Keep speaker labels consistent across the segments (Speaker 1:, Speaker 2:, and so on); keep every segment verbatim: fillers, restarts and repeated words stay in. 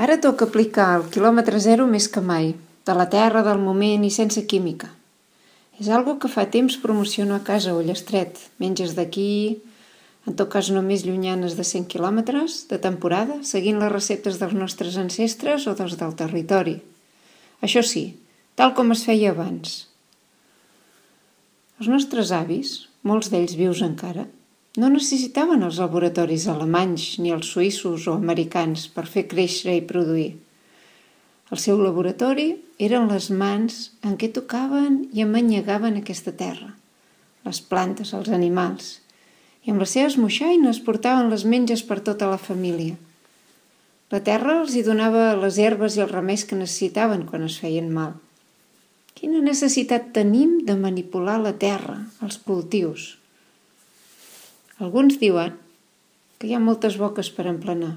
Speaker 1: Ara toca aplicar el quilòmetre zero més que mai, de la terra, del moment i sense química. És algo que fa temps promociono a casa a Ullastret. Menges d'aquí, en tot cas només llunyanes de cent quilòmetres, de temporada, seguint les receptes dels nostres ancestres o dels del territori. Això sí, tal com es feia abans. Els nostres avis, molts d'ells vius encara, no necessitaven els laboratoris alemanys ni els suïssos o americans per fer créixer i produir. El seu laboratori eren les mans en què tocaven i amanyegaven aquesta terra, les plantes, els animals, i amb les seves moixaines portaven les menges per tota la família. La terra els hi donava les herbes i els remeis que necessitaven quan es feien mal. Quina necessitat tenim de manipular la terra, els cultius? Alguns diuen que hi ha moltes boques per emplenar.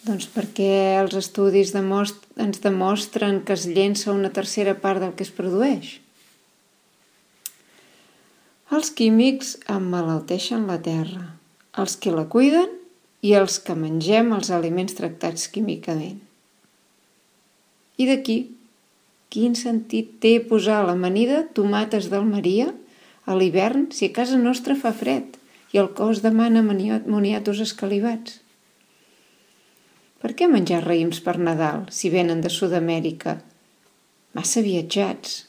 Speaker 1: Doncs perquè els estudis demost- ens demostren que es llença una tercera part del que es produeix. Els químics emmalalteixen la terra, els que la cuiden i els que mengem els aliments tractats químicament. I d'aquí, quin sentit té posar a l'amanida tomates d'Almeria a l'hivern si a casa nostra fa fred i el cos demana moniatos escalivats? Per què menjar raïms per Nadal si venen de Sud-amèrica? Massa viatjats.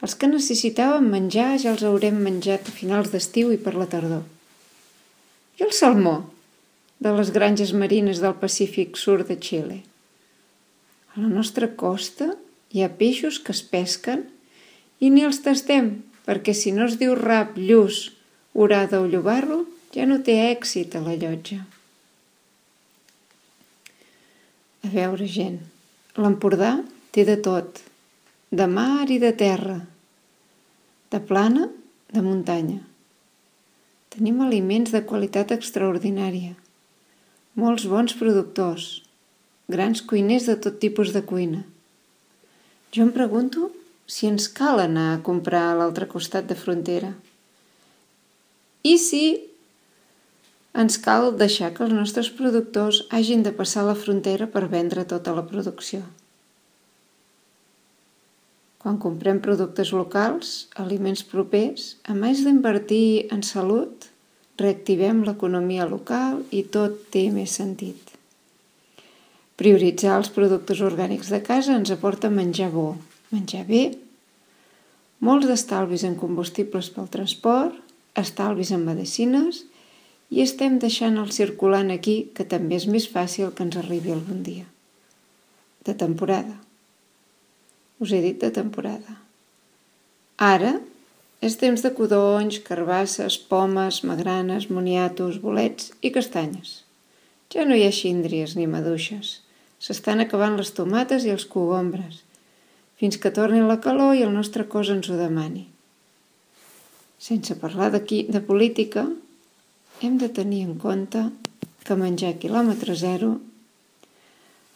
Speaker 1: Els que necessitàvem menjar ja els haurem menjat a finals d'estiu i per la tardor. I el salmó de les granges marines del Pacífic Sud de Xile? A la nostra costa hi ha peixos que es pesquen i ni els tastem, perquè si no es diu rap, lluç, orada o llobarro, ja no té èxit a la llotja. A veure, gent, l'Empordà té de tot, de mar i de terra, de plana, de muntanya. Tenim aliments de qualitat extraordinària, molts bons productors, grans cuiners de tot tipus de cuina. Jo em pregunto si ens cal anar a comprar a l'altre costat de frontera. I si ens cal deixar que els nostres productors hagin de passar la frontera per vendre tota la producció. Quan comprem productes locals, aliments propers, a més d'invertir en salut, reactivem l'economia local i tot té més sentit. Prioritzar els productes orgànics de casa ens aporta menjar bo, menjar bé, molts d'estalvis en combustibles pel transport, estalvis en medicines i estem deixant el circulant aquí, que també és més fàcil que ens arribi algun dia. De temporada. Us he dit de temporada. Ara és temps de codonys, carbasses, pomes, magranes, moniatos, bolets i castanyes. Ja no hi ha xíndries ni maduixes. S'estan acabant les tomates i els cogombres, fins que torni la calor i el nostre cos ens ho demani. Sense parlar d'aquí de política, hem de tenir en compte que menjar quilòmetre zero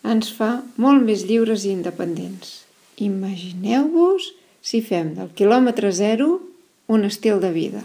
Speaker 1: ens fa molt més lliures i independents. Imagineu-vos si fem del quilòmetre zero un estil de vida.